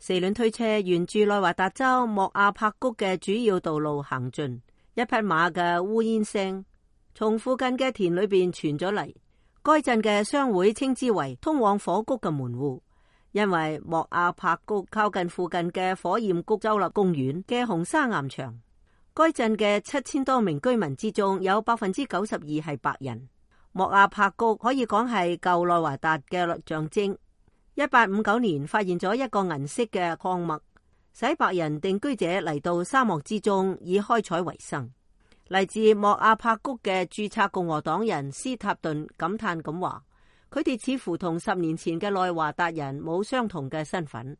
四輪推車沿住內華達州莫亞帕谷嘅主要道路行進，一匹馬嘅烏煙聲從附近嘅田裏邊傳咗嚟。該鎮嘅商會稱之為通往火谷嘅門戶，因為莫亞帕谷靠近附近嘅火焰谷州立公園嘅紅砂岩牆。該鎮嘅7000多名居民之中，有92%係白人。莫亞帕谷可以講係舊內華達嘅象徵。1859年發現咗一個銀色嘅礦脈，使白人定居者嚟到沙漠之中以開採為生。嚟自莫亞帕谷嘅註冊共和黨人斯塔頓感嘆咁話：佢哋似乎同10年前嘅內華達人冇相同嘅身份。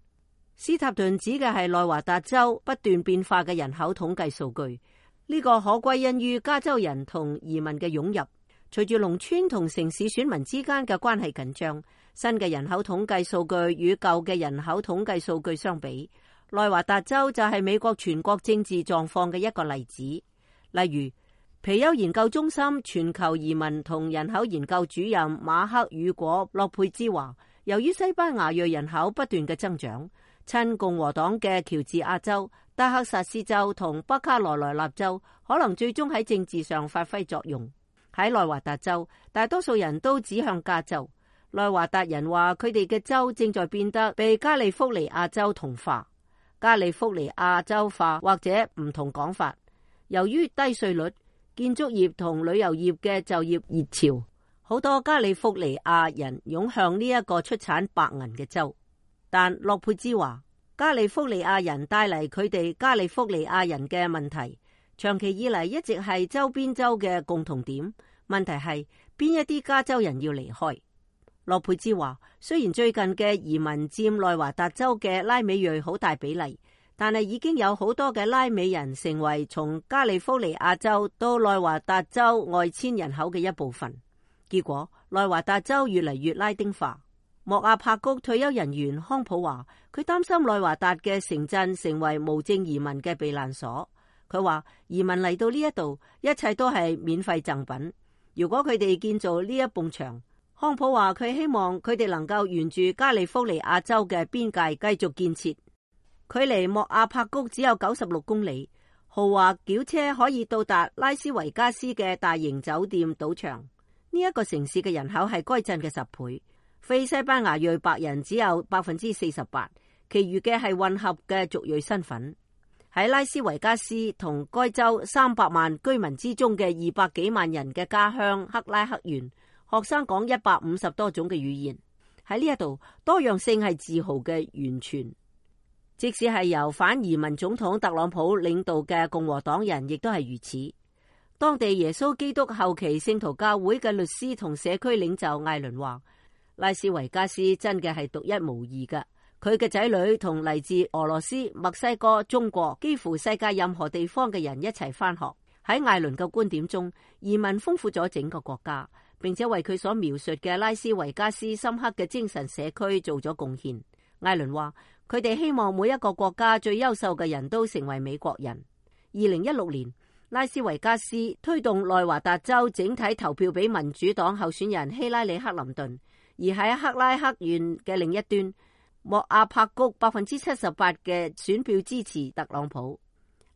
斯塔頓指嘅係內華達州不斷變化嘅人口統計數據，呢個可歸因於加州人同移民嘅湧入。隨住農村同城市選民之間嘅關係緊張，新嘅人口統計數據與舊嘅人口統計數據相比，內華達州就係美國全國政治狀況嘅一個例子。例如，皮尤研究中心全球移民同人口研究主任馬克與果洛佩茲話，由於西班牙裔人口不斷嘅增長，親共和黨嘅喬治亞州、德克薩斯州同北卡羅來納州可能最終喺政治上發揮作用。喺內華達州，大多數人都指向加州。內華達人話佢哋嘅州正在變得被加利福尼亞州同化、加利福尼亞州化或者唔同講法。由於低稅率、建築業同旅遊業嘅就業熱潮，好多加利福尼亞人湧向呢一個出產白銀嘅州。但洛佩茲話，加利福尼亞人帶嚟佢哋加利福尼亞人嘅問題，長期以嚟一直係周邊州嘅共同點。問題係邊一啲加州人要離開。洛佩茲話，雖然最近嘅移民佔內華達州嘅拉美裔好大比例，但係已經有好多嘅拉美人成為從加利福尼亞州到內華達州外遷人口嘅一部分。結果內華達州越嚟越拉丁化。莫亞帕谷退休人員康普話，佢擔心內華達嘅城鎮成為無證移民嘅避難所。佢話移民嚟到呢一度，一切都係免費贈品。如果佢哋建造呢一埲牆，康普話佢希望佢哋能夠沿住加利福尼亞州嘅邊界繼續建設。距離莫亞帕谷只有96公里，豪華轎車可以到達拉斯維加斯嘅大型酒店賭場。呢一個城市嘅人口係該鎮嘅10倍，非西班牙裔白人只有48%，其餘嘅係混合嘅族裔身份。喺拉斯維加斯同該州300萬居民之中嘅200幾萬人嘅家鄉克拉克縣，學生講150多種嘅語言。喺呢一度，多樣性係自豪嘅源泉。即使係由反移民總統特朗普領導嘅共和黨人，亦都係如此。當地耶穌基督後期聖徒教會嘅律師同社區領袖艾倫話，拉斯維加斯真嘅係獨一無二嘅。佢嘅仔女同嚟自俄羅斯、墨西哥、中國，幾乎世界任何地方嘅人一齊返學。喺艾倫嘅觀點中，移民豐富咗整個國家，並且為佢所描述嘅拉斯維加斯深刻嘅精神社區做咗貢獻。艾倫話，佢哋希望每一個國家最優秀嘅人都成為美國人。2016年，拉斯維加斯推動內華達州整體投票俾民主黨候選人希拉里克林頓，而喺克拉克縣嘅另一端，莫亞帕谷78%嘅選票支持特朗普。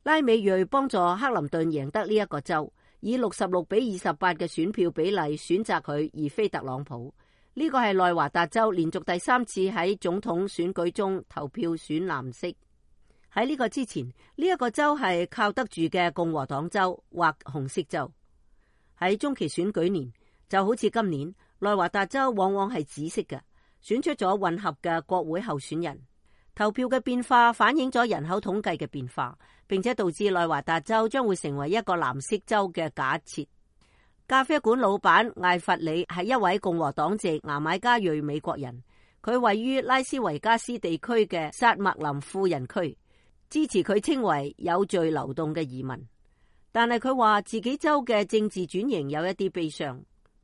拉美裔幫助克林頓贏得呢一個州，以66-28嘅選票比例選擇佢而非特朗普。呢個係內華達州連續第3次喺總統選舉中投票選藍色。喺呢個之前，呢一個州係靠得住嘅共和黨州或紅色州。喺中期選舉年，就好似今年，內華達州往往係紫色嘅，選出咗混合嘅國會候選人。投票嘅變化反映咗人口統計嘅變化，並且導致內華達州將會成為一個藍色州嘅假設。咖啡館老闆艾弗里係一位共和黨籍牙買加裔美國人，佢位於拉斯維加斯地區嘅薩麥林富人區，支持佢稱為有序流動嘅移民。但係佢話自己州嘅政治轉型有一啲悲傷。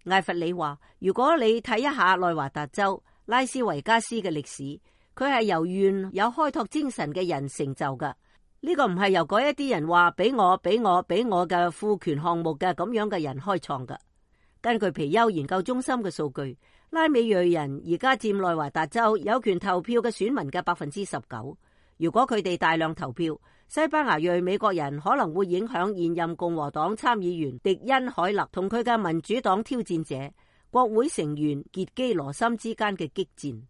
艾弗里話，如果你睇一下內華達州拉斯維加斯嘅歷史，佢係由願有開拓精神嘅人成就㗎。呢個唔係由嗰一啲人話俾我嘅賦權項目嘅咁樣嘅人開創㗎。根據皮尤研究中心嘅數據，拉美裔人而家佔內華達州有權投票嘅選民嘅19%。如果佢哋大量投票，西班牙裔美國人可能會影響現任共和黨參議員迪恩·海勒同佢嘅民主黨挑戰者國會成員傑基羅森之間嘅激戰。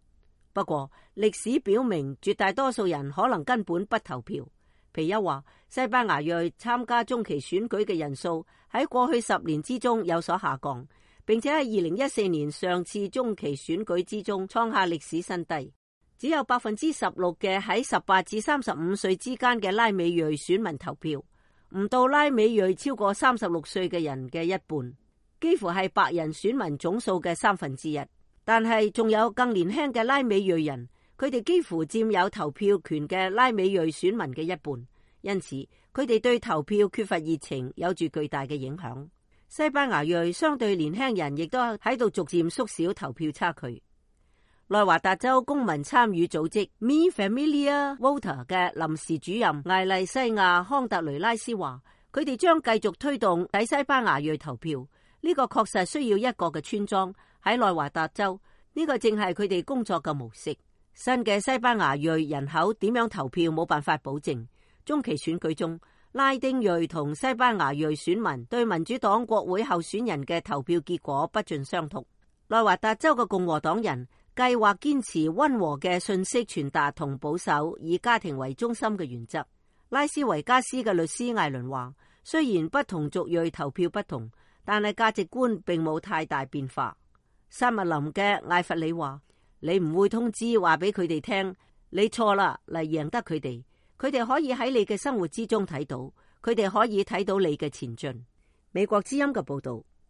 不過，歷史表明絕大多數人可能根本不投票。皮尤話，西班牙裔參加中期選舉嘅人數喺過去10年之中有所下降，並且喺2014年上次中期選舉之中創下歷史新低。只有16%嘅喺18至35歲之間嘅拉美裔選民投票，唔到拉美裔超過36歲嘅人嘅一半，幾乎係白人選民總數嘅1/3。但係仲有更年輕嘅拉美裔人，佢哋幾乎佔有投票權嘅拉美裔選民嘅一半，因此佢哋對投票缺乏熱情，有住巨大嘅影響。西班牙裔相對年輕人亦都喺度逐漸縮小投票差距。內華達州公民參與組織 Mi Familia Voter 嘅臨時主任艾麗西亞康特雷拉斯話，佢哋將繼續推動喺西班牙裔投票。呢個確實需要一個嘅村莊喺內華達州，呢個正係佢哋工作嘅模式。新嘅西班牙裔人口點樣投票冇辦法保證。中期選舉中，拉丁裔同西班牙裔選民對民主黨國會候選人嘅投票結果不盡相同。內華達州嘅共和黨人計劃堅持溫和嘅信息傳達同保守以家庭為中心嘅原則。拉斯維加斯嘅律師艾倫話，雖然不同族裔投票不同，但係價值觀並冇太大變化。薩密林嘅艾弗里話，你唔會通知話俾佢哋聽你錯啦嚟贏得佢哋，佢哋可以喺你嘅生活之中睇到，佢哋可以睇到你嘅前進。美國之音嘅報道。